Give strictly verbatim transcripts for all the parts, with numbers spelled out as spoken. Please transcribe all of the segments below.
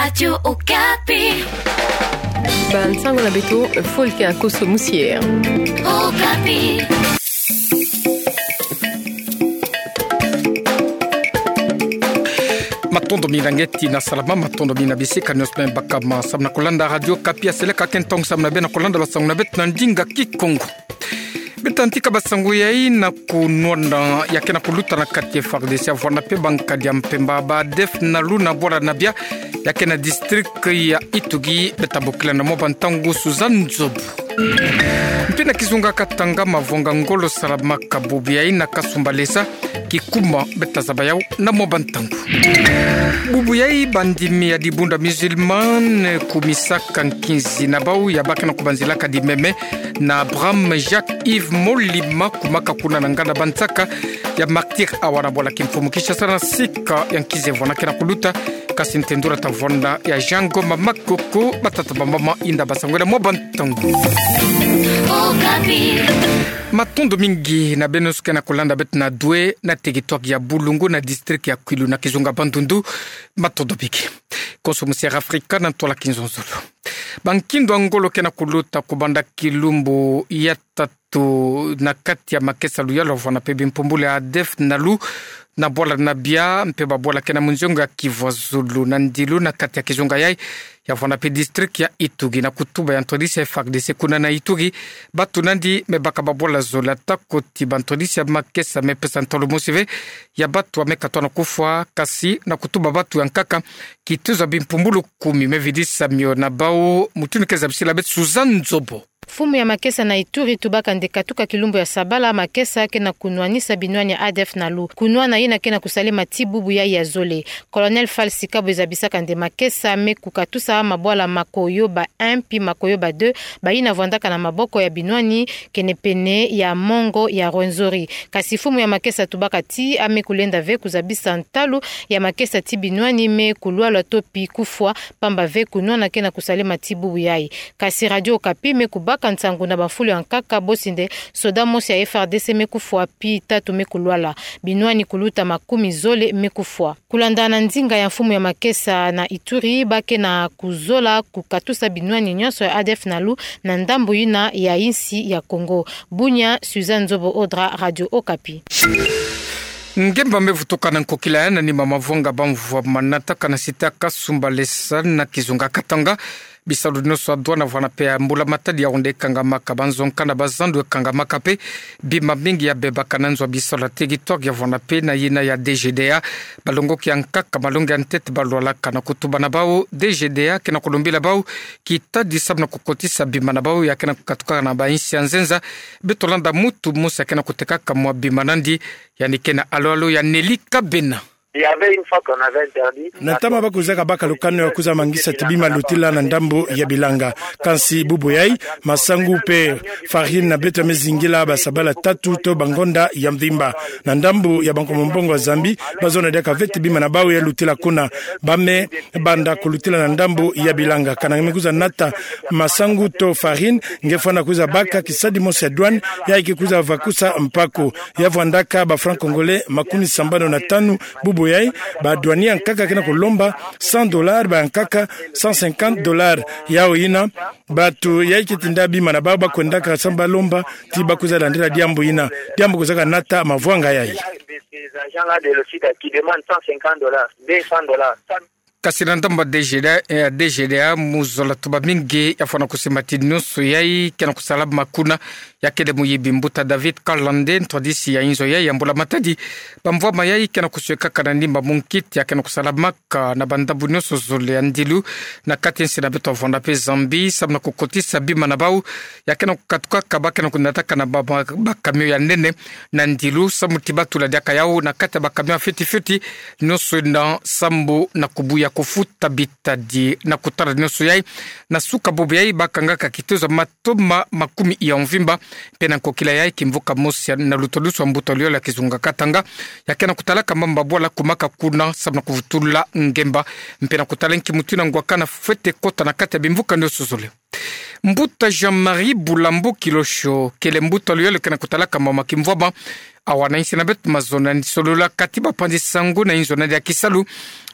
Radio Okapi. Bansango na beto, fo ke akoso musiere. Okapi. Matondo mingi na ngeti na salama, matondo mingi na bisika nioso me baka ma samu na kolanda Radio Okapi. Aseleka ke ntongo samu na bê na kolanda basango na beto na ndinga Kikongo. Bê ta ntika basango yai na kunwana ya ke na kuluta na kati ya F A R D C ya vwana pe ba nkadi ya mpemba ba ADF-NALU na bwala na bia ya ke na district ya Ituri. Bê ta bokila na mwa ba ntangu Suzanne Nzobo. Mpi na kizunga Katanga, mavonga ngolo salamaka bubu yai na Kasumbalesa, kikuma bê ta zaba yau na mwa ba ntangu. Bubu yai bandimi ya dibundu musulmane kumisaka nkinzi na bau ya ba ke na kubanzilaka dimeme na Abraham Jacques Yves Molima, kumaka kuna na nganda bansaka ya Martyrs awa na bwala kimfumu Kinshasa na sika ya nkinzi evwana ke na kuluta. Kasi ntendula ta vwanda ya Jean Ngoma Makoko, batata bamama, inda basango na mwa ba ntangu. Matondo mingi na bê nioso ke na kolanda beto na Dwé na territoire ya Boulungu na district ya Kwilu na kizunga Bandundu. Matondo mingi. Konso musiere Afrika na ntwala kinzonzolo. Ba nkindo ya ngolo ke na kuluta kubanda kilumbu ya tatu na kati ya makesa luyalu ya vwana pe bimpumbulu ya ADF-NALU na bwala na bia mpe babwala ke na munzongo ya Kivu ya zulu na ndilu na kati ya kizunga yai ya vwana pe district ya Ituri. Na kutuba ya ntwadisi ya F A R D C kuna na Ituri, batu nandi me baka babwala zole, atako ti ba ntwadisi ya makesa me pesa ntolo mosi ve ya batu ame katwa na kufwa, kasi na kutuba batu ya nkaka kituza bimpumbulu kumi. Me vidisa mio na bau, mutu ni ke zabisila beto Suzanne Nzobo. Mfumu ya makesa na Ituri tubaka nde katuka kilumbu ya sabala makesa ke na kunwanisa binwani ya ADF-NALU. Kunwana yina ke na kusalema ti bubu yai ya zole. Colonel Falsi Kabwe zabisaka nde makesa me kukatusa mabwala Makoyoba un mpi Makoyoba deux, bayina vwandaka na maboko ya binwani kenepene ya mongo ya Rwenzori. Kasi mfumu ya makesa tubaka ti ame kulenda ve kuzabisa ntalu ya makesa ti binwani me kulwalwa to pi kufwa, pamba ve kunwana ke na kusalema ti bubu yai. Kasi Radio Okapi me kubaka nsangu na bamfulu ya nkaka bosi nde soda mosi ya F A R D C me kufwa pi tatu me kulwala. Binwani kuluta makumi zole me kufwa. Kulanda na nzinga ya mfumu ya makesa na Ituri, ba ke na kuzola kukatusa binwani nionso ya ADF-NALU na ndambu yina ya insi ya Kongo. Bunia, Suzanne Nzobo Odra, Radio Okapi. Ngemba me vutuka na nkokila ya nani ma mavonga ba mvwa manataka na site ya Kasumbalesa na kizunga Katanga. Bisalu nionso ya douane vwana pe ya mbula matadi ya onde ekangamaka, banzonka na bazandu ekangamaka pe bima mingi ya bebaka na nzo ya bisalu ya territoire ya vwana pe na yina ya D G D A. Balongoki ya nkaka malongi ya ntete balwalaka na kutuba na bau, D G D A ke na kulombila bau kitadi samu na kukotisa bima na bau ya ke na kukatukaka na bainsi ya nzenza. Beto landa mutu mosi ya ke na kutekaka mwa bima nandi, yandi ke na alo-alo ya Nelly Kabena. Il y avait une fois qu'on avait interdit. Na ntama bakuzaka baka lukanu ya kuza mangisa ti bima lutila na ndambu ya bilanga. Kansi bubu yai, masangu pe farine na beto ya me zingila basabala tatu to bangonda ya mvimba. Na ndambu ya Bankombo Mbongo ya Zambie, bazona diaka ve ti bima na bau ya lutila kuna. Ba me banda kulutila na ndambu ya bilanga. Kana nge me kuza nata masangu to farine, nge fwana kuza baka kisadi mosi ya douane, yai ke kuza vakusa mpaku. Ya vwandaka ba francs congolais makumi sambanu na tanu. Bubu yai, ba douanier ya nkaka ke na kulomba cent dollars, ba ya nkaka cent cinquante dollars. Yau yina, batu yai ke tinda bima na bau bakwendaka samu balomba ti bakuza landila diambu yina. Diambu kuzaka nata mavwanga yai. Ces agents-là de l'OCIDA qui demandent cent cinquante dollars, deux cents dollars. Kasi na ndambu ya D G D A, eh, D G D A, muzola tuba mingi ya fwana kusimba ti nionso yai ke na kusala ma kuna, ya kele muyibi. Mbuta David Kalande, ntwadisi ya inzo yai ya mbula matadi, bamvwama yai ke na kusiekaka na nima munkiti ya ke na kusalamaka na bandambu nionso zole ya ndilu na kati ya nsi na beto ya vwana pe Zambie, samu na kukotisa bima na bau ya ke na kukatukaka, ba ke na kunataka na ba, ba, bacamion ya nene na ndilu, samu ti batula diaka yau na kati ya bacamion ya fioti fioti nionso yina, samu na kubuya kufuta bitadi na kutala nionso yai. Na suka bubu yai bakangaka kituza matoma makumi ya mvimba. Mpe na nkokila yai, kimvuka mosi na luto lusu ya mbuta luyole ya kizunga Katanga ya ke na kutalaka mamba bwala kumaka kuna samu na kuvutula ngemba, mpe na kutala nki mutu yina ngwakana fwete kota na kati ya bimvuka nionso zole. Mbuta Jean-Marie Bulambo Kilosho kele mbuta luyole ke na kutalaka mama kimvwama awana insi na beto mazono ya nisololaka ti bapanzi nsangu na inzo na diaki salu,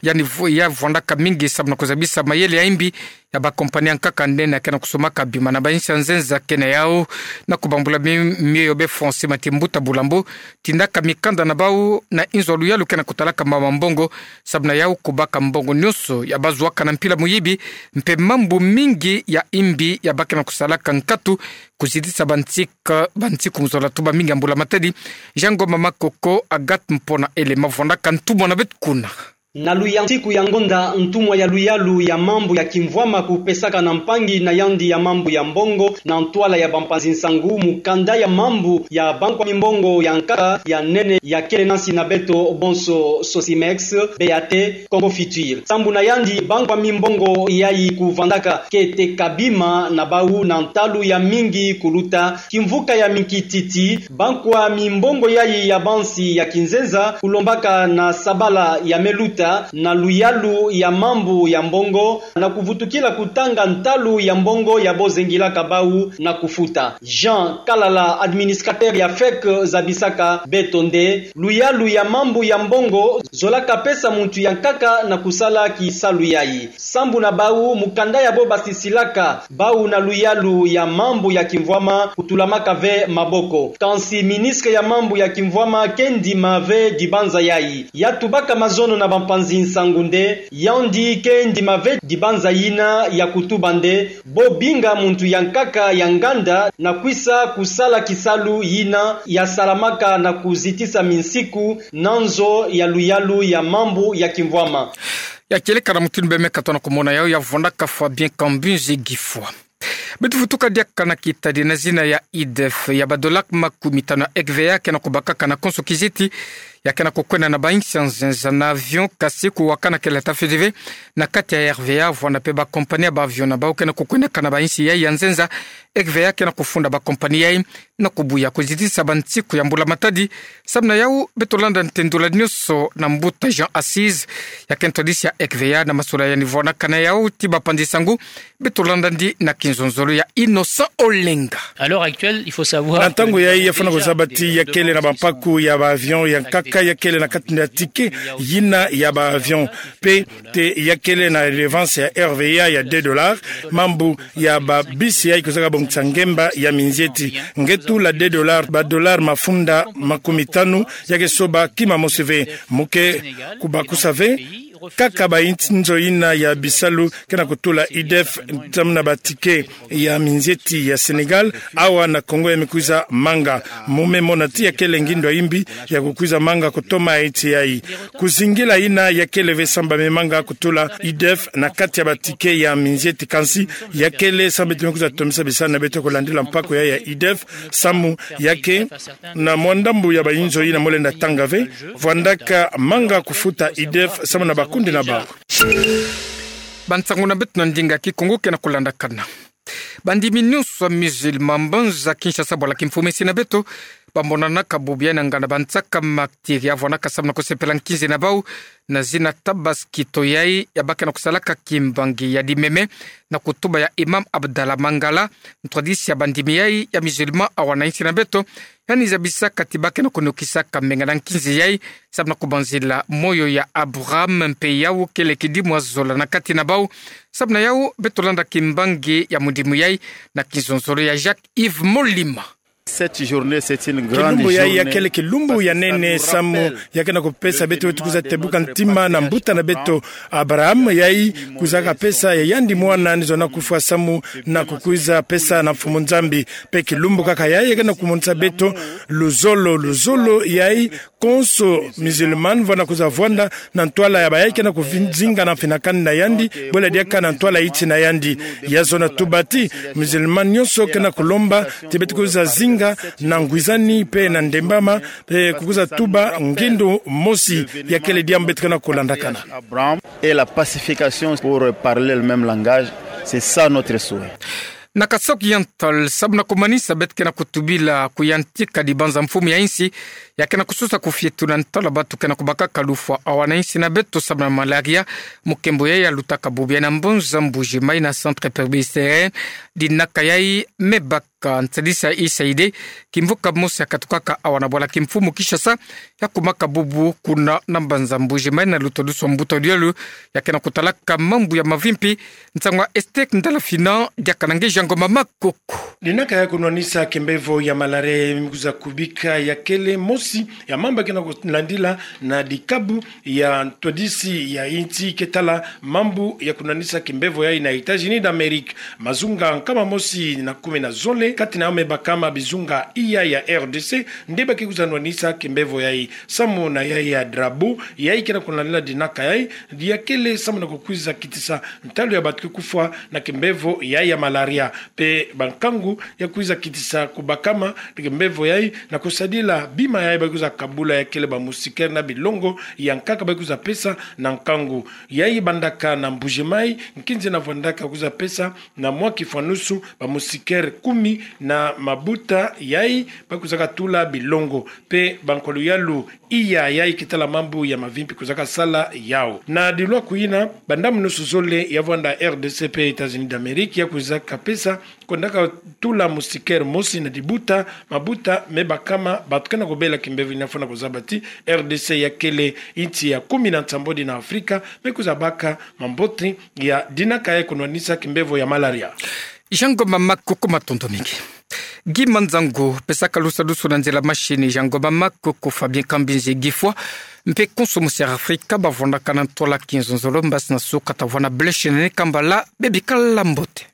yaani vo-, ya vwandaka mingi sababu na kuzabisa mayele ya imbi ya bakompani ya nkaka nde na kena kusomaka bima na bainsi ya nzenza. Kena yau na kubambula mi-, mioyo be François Matimbuta Bulambo, tindaka mikanda na bau na inzo ya luyalu kena kutalaka mama mbongo, sababu na yau kubaka mbongo nionso ya bazuaka na mpila muyibi, mpe mambu mingi ya imbi ya bakena kusalaka nkatu, kuzitisa bantika, bantiku mu zola tuba mingi ya mbula matadi. Jean Ngoma Makoko, Agathe Mpona Elema vwandaka ntumwa na beto kuna. Na luyantiku ya ngonda, ntumwa ya luyalu ya mambu ya kimvwama kupesaka na mpangi na yandi ya mambu ya mbongo na ntwala ya bampanzi nsangu, mukanda ya mambu ya bankwa mimbongo ya nkaka ya nene ya kele na nsi na beto bonso, Sosimex, Beate, Congo Futur. Sambu na yandi, bankwa mimbongo yayi kuvwandaka kete kabima na bau na ntalu ya mingi kuluta kimvuka ya minkititi. Bankwa mimbongo yayi ya bansi ya kinzenza kulombaka na sabala ya meluta na luyalu ya mambu ya mbongo na kuvutukila kutanga ntalu ya mbongo ya bo zengilaka bau na kufuta. Jean Kalala, administrateur ya fek, zabisaka beto nde luyalu ya mambu ya mbongo zolaka pesa muntu ya nkaka na kusala kisalu yayi. Sambu na bau, mukanda ya bo basisilaka bau na luyalu ya mambu ya kimvwama kutulamaka ve maboko. Kansi ministre ya mambu ya kimvwama ke ndima ve dibanza yayi. Ya tubaka mazono na bampanzi nsangu nde yandi ke ndima ve dibanza yina ya kutuba nde bo binga muntu ya nkaka ya nganda na kwisa kusala kisalu yina ya salamaka na kuzitisa minsiku na nzo ya luyalu ya mambu ya kimvwama. Ya kieleka na mutindu beme katona kumona yau, ya vwandaka Fabien Kambinzi Gifwa. Beto vutuka diaka na kitadi na zina ya IDEF. Ya ba dollars makumitano ya RVA kena kubakaka na konso kiziti, ya kena kukwenda na bainsi ya nzenza na avion, kasi kuwakana kele ata feu de vent na kati ya RVA, vwanda mpe bakompani ya ba avion na bau kena kukwendaka na bainsi yayi ya nzenza. RVA kena kufunda bakompani yayi na kubuya kuzitisa bantiku ya mbula matadi. Samu na yau, beto landa ntendula nionso na mbuta Jean Assise, ya kena twadisi ya RVA na masula ya nivona kana yau ti bapanzi nsangu. Beto landandi na kinzonzolo ya Innocent Olenga. À l'heure actuelle, il faut savoir... Na ntangu yayi, ya fwana kuzaba ti ya kele na bampaku ya ba avion ya nkaka ya kele na kati na ticket yina ya ba avion. Mpe te ya kele na redevance ya RVA ya deux dollars, mambu ya ba bisi yayi kuzaka bongisa ngemba ya minzieti. Nge tula deux dollars, ba dollars mafunda makumitano, ya ke soba kima mosi ve. Mu ke kubakusa ve, kaka ba inzo yina ya bisalu kena kutula IDEF, samu na ba ticket ya minzieti ya Sénégal, awa na Congo ya mikwiza manga. Mu me mona ti ya kele ngindu ya imbi ya kukwiza manga kutoma insi yayi. Kuzingila yina ya kele ve samu ba me manga kutula IDEF na kati ya ba ticket ya minzieti, kansi ya kele samu beto me kwiza tomisa bisalu na beto kulandila mpaku yayi ya IDEF, samu ya ke na mwa ndambu ya ba inzo yina mo lenda tanga ve, vwandaka manga kufuta IDEF samu na bakundi na bau. Bansangu na beto na ndinga Kikongo kena kulandakana. Bandimi nionso ya musulman mbanza Kinshasa, bwala kimfumesi na beto, bamonanaka bubu yayi na nganda bansaka maktiri ya vwanaka samu na kusepela nkinzi na bau, na zina Tabaski to yayi ya ba kena kusalaka kimbangi ya dimeme, na kutuba ya Imam Abdallah Mangala, ntwadisi ya bandimi yayi ya musulman awa na insi na beto, yandi zabisaka ti ba kena kunukisaka menga na nkinzi yayi, samu na kubanzila moyo ya Abraham, mpe yau kele kidimu ya zola na kati na bau. Samu na yau, beto landa kimbangi ya mudimu yayi na kinzonzolo ya Jacques Yves Molima. Cette journée, c'est une grande journée. Kilumbu yayi ya kele kilumbu ya nene samu ya kena kupesa beto, beto kwiza tebuka ntima na mbuta na beto Abraham, yayi kwizaka pesa ya yandi mwana ni zona kufwa samu na kukwiza pesa na Mfumu Nzambi. Mpe kilumbu kaka yayi ya kena kumonisa beto luzolo, luzolo yayi konso musulman vwanda kwiza vwanda na ntwala ya bayayi kena kuvinzinga na mfinakani na yandi, bwela diaka na ntwala iti na yandi. Ya zona tuba ti musulman nionso kena kulomba ti beto kwiza zinga na ngwizani mpe na ndembama, mpe kukwiza tuba ngindu mosi. Ya kele diambu beto kena kulandakana. Abraham et la pacification pour parler le même langage, c'est ça notre souhait. Na Kasaï Oriental, samu na kumanisa beto kena kutubila kuyantika dibanza mfumu ya insi, ya kena kusosa kufietula ntwala bantu kena kubakaka lufwa awa na insi na beto samu na malaria, mukembo yayi ya lutaka bubu yayi na mbanza Mbuji-Mayi na Centre Presbytérien, dinaka yayi me baka ka nsadisa isa ide, kimvuka mosi ya katukaka awa na bwala kimfumu Kinshasa, ya kumaka bubu kuna na mbanza Mbuji-Mayi na luta dusu mbuta dialu, ya kena kutalaka mambu ya mavimpi, nsangwa Esther Ndala Fina, diaka na nge Jean Ngoma Makoko. Dinaka ya kunwanisa kimbevo ya malaria ya mi kwiza kubika ya kele mosi ya mambu ya kena kulandila na dikabu ya ntwadisi ya insi ke tala mambu ya kunwanisa kimbevo yayi na États-Unis d'Amérique. Mazunga nkama mosi na kumi na zole, kati na yo me bakama bizunga iya ya R D C, nde ba ke kwiza nwanisa kimbevo yayi. Samu na yayi ya drapeau, yayi kena kulandila dinaka yayi, ya kele samu na kukwiza kitisa ntalu ya bantu ke kufwa na kimbevo yayi ya malaria. Pe bankangu ya kwiza kitisa kubakama kimbevo yayi na kusadila bima yayi ba kwiza kabula ya kele ba moustiquaire na bilongo ya nkaka ba kwiza pesa na nkangu. Yayi bandaka na Mbuji-Mayi, nkinzi na vwandaka kwiza pesa na mwa kifwanusu ba moustiquaire kumi na mabuta yayi ba kwizaka tula bilongo. Pe bankwa luyalu iya yayi ke tala mambu ya mavimpi kwizaka sala yawu. Na dilwa kuyina, bandamunusu zole ya vwanda R D C pe États-Unis d'Amérique ya kwizaka pesa, kwendaka tula moustiquaire mosi na dibuta, mabuta me bakama, bantu kena kubela kimbevo yayi na fwana kuzaba ti R D C ya kele insi ya kumi na nsambwadi na Afrika me kwiza baka mambote ya dinaka ya kunwanisa kimbevo ya malaria. Jean Ngoma Makoko, matondo mingi. Gi manzango, pesaka lusadusu na nzila machine, Jean Ngoma Makoko, Fabien Kambinzi, Guy Fwa, mpe konso musi ya Afrika, ba vwandaka na ntwala kinzonzolo, mbasi na suka ta vwanda bleshene kambala, bebikala mbote.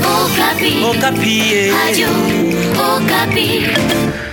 Okapi. Okapi, eh. Radio Okapi.